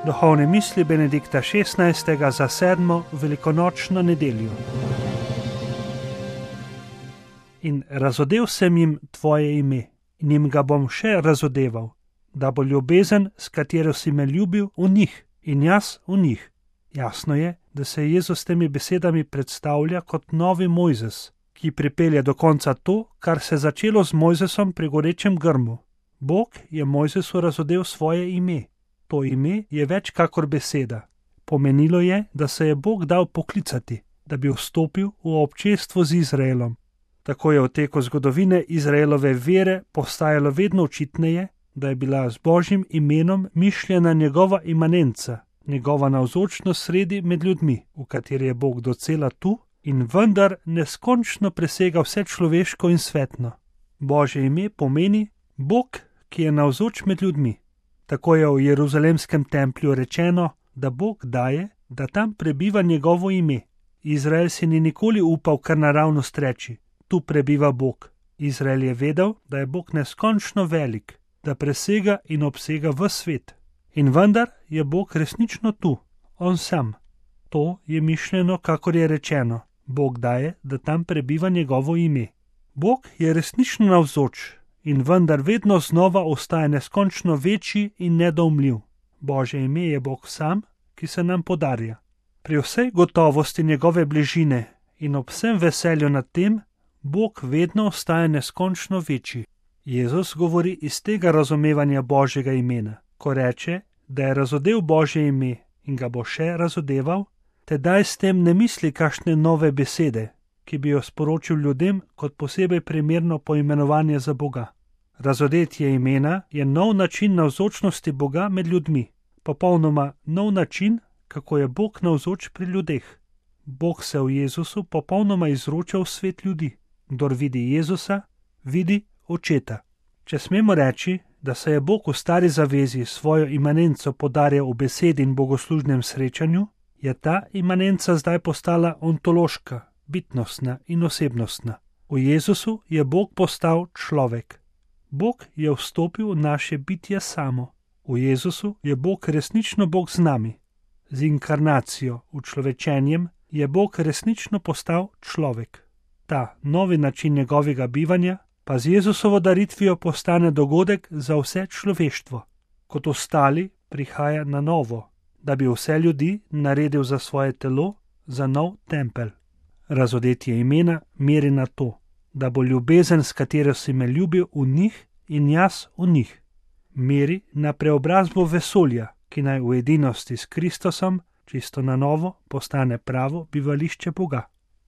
Duhovne misli Benedikta XVI. Za 7. velikonočno nedeljo. In razodel sem jim tvoje ime, in jim ga bom še razodeval, da bo ljubezen, s katero si me ljubil, v njih in jaz v njih. Jasno je, da se Jezus s temi besedami predstavlja kot novi Mojzes, ki pripelje do konca to, kar se je začelo z Mojzesom pri gorečem grmu. Bog je Mojzesu razodel svoje ime. To ime je več kakor beseda. Pomenilo je, da se je Bog dal poklicati, da bi vstopil v občestvo z Izraelom. Tako je v teku zgodovine Izraelove vere postajalo vedno očitneje, da je bila z Božjim imenom mišljena njegova imanenca, njegova navzočnost sredi med ljudmi, v kateri je Bog docela tu in vendar neskončno presega vse človeško in svetno. Božje ime pomeni Bog, ki je navzoč med ljudmi. Tako je v Jeruzalemskem templju rečeno, da Bog daje, da tam prebiva njegovo ime. Izrael si ni nikoli upal kar naravnost reči, tu prebiva Bog. Izrael je vedel, da je Bog neskončno velik, da presega in obsega ves svet. In vendar je Bog resnično tu, on sam. To je mišljeno, kakor je rečeno, Bog daje, da tam prebiva njegovo ime. Bog je resnično navzoč in vendar vedno znova ostaja neskončno večji in nedoumljiv. Božje ime je Bog sam, ki se nam podarja. Pri vsej gotovosti njegove bližine in ob vsem veselju nad tem, Bog vedno ostaja neskončno večji. Jezus govori iz tega razumevanja Božjega imena, ko reče, da je razodel Božje ime in ga bo še razodeval, tedaj s tem ne misli kakšne nove besede, ki bi jo sporočil ljudem kot posebej primerno poimenovanje za Boga. Razodetje imena je nov način navzočnosti Boga med ljudmi, popolnoma nov način, kako je Bog navzoč pri ljudeh. Bog se v Jezusu popolnoma izroča v svet ljudi. Kdor vidi Jezusa, vidi Očeta. Če smemo reči, da se je Bog v stari zavezi svojo imanenco podarjal v besedi in bogoslužnem srečanju, je ta imanenca zdaj postala ontološka, bitnostna in osebnostna. V Jezusu je Bog postal človek. Bog je vstopil v naše bitje samo. V Jezusu je Bog resnično Bog z nami. Z inkarnacijo, učlovečenjem, je Bog resnično postal človek. Ta novi način njegovega bivanja pa z Jezusovo daritvijo postane dogodek za vse človeštvo. Kot ostali prihaja na novo, da bi vse ljudi naredil za svoje telo, za nov tempelj. Razodetje imena meri na to, da bo ljubezen, s katero si me ljubil, v njih in jaz v njih. Meri na preobrazbo vesolja, ki naj v edinosti s Kristusom čisto na novo postane pravo bivališče Boga.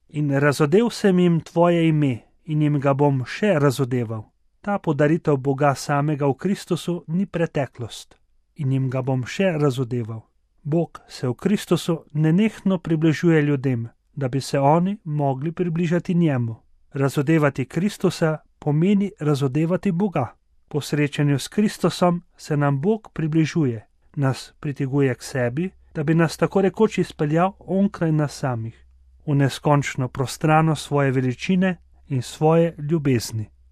In razodel sem jim tvoje ime in jim ga bom še razodeval. Ta podaritev Boga samega v Kristusu ni preteklost in jim ga bom še razodeval. Bog se v Kristusu nenehno približuje ljudem, da bi se oni mogli približati njemu. Razodevati Kristusa pomeni razodevati Boga. Po srečanju s Kristusom se nam Bog približuje, nas priteguje k sebi, da bi nas tako rekoč izpeljal onkraj nas samih, v neskončno prostrano svoje veličine in svoje ljubezni.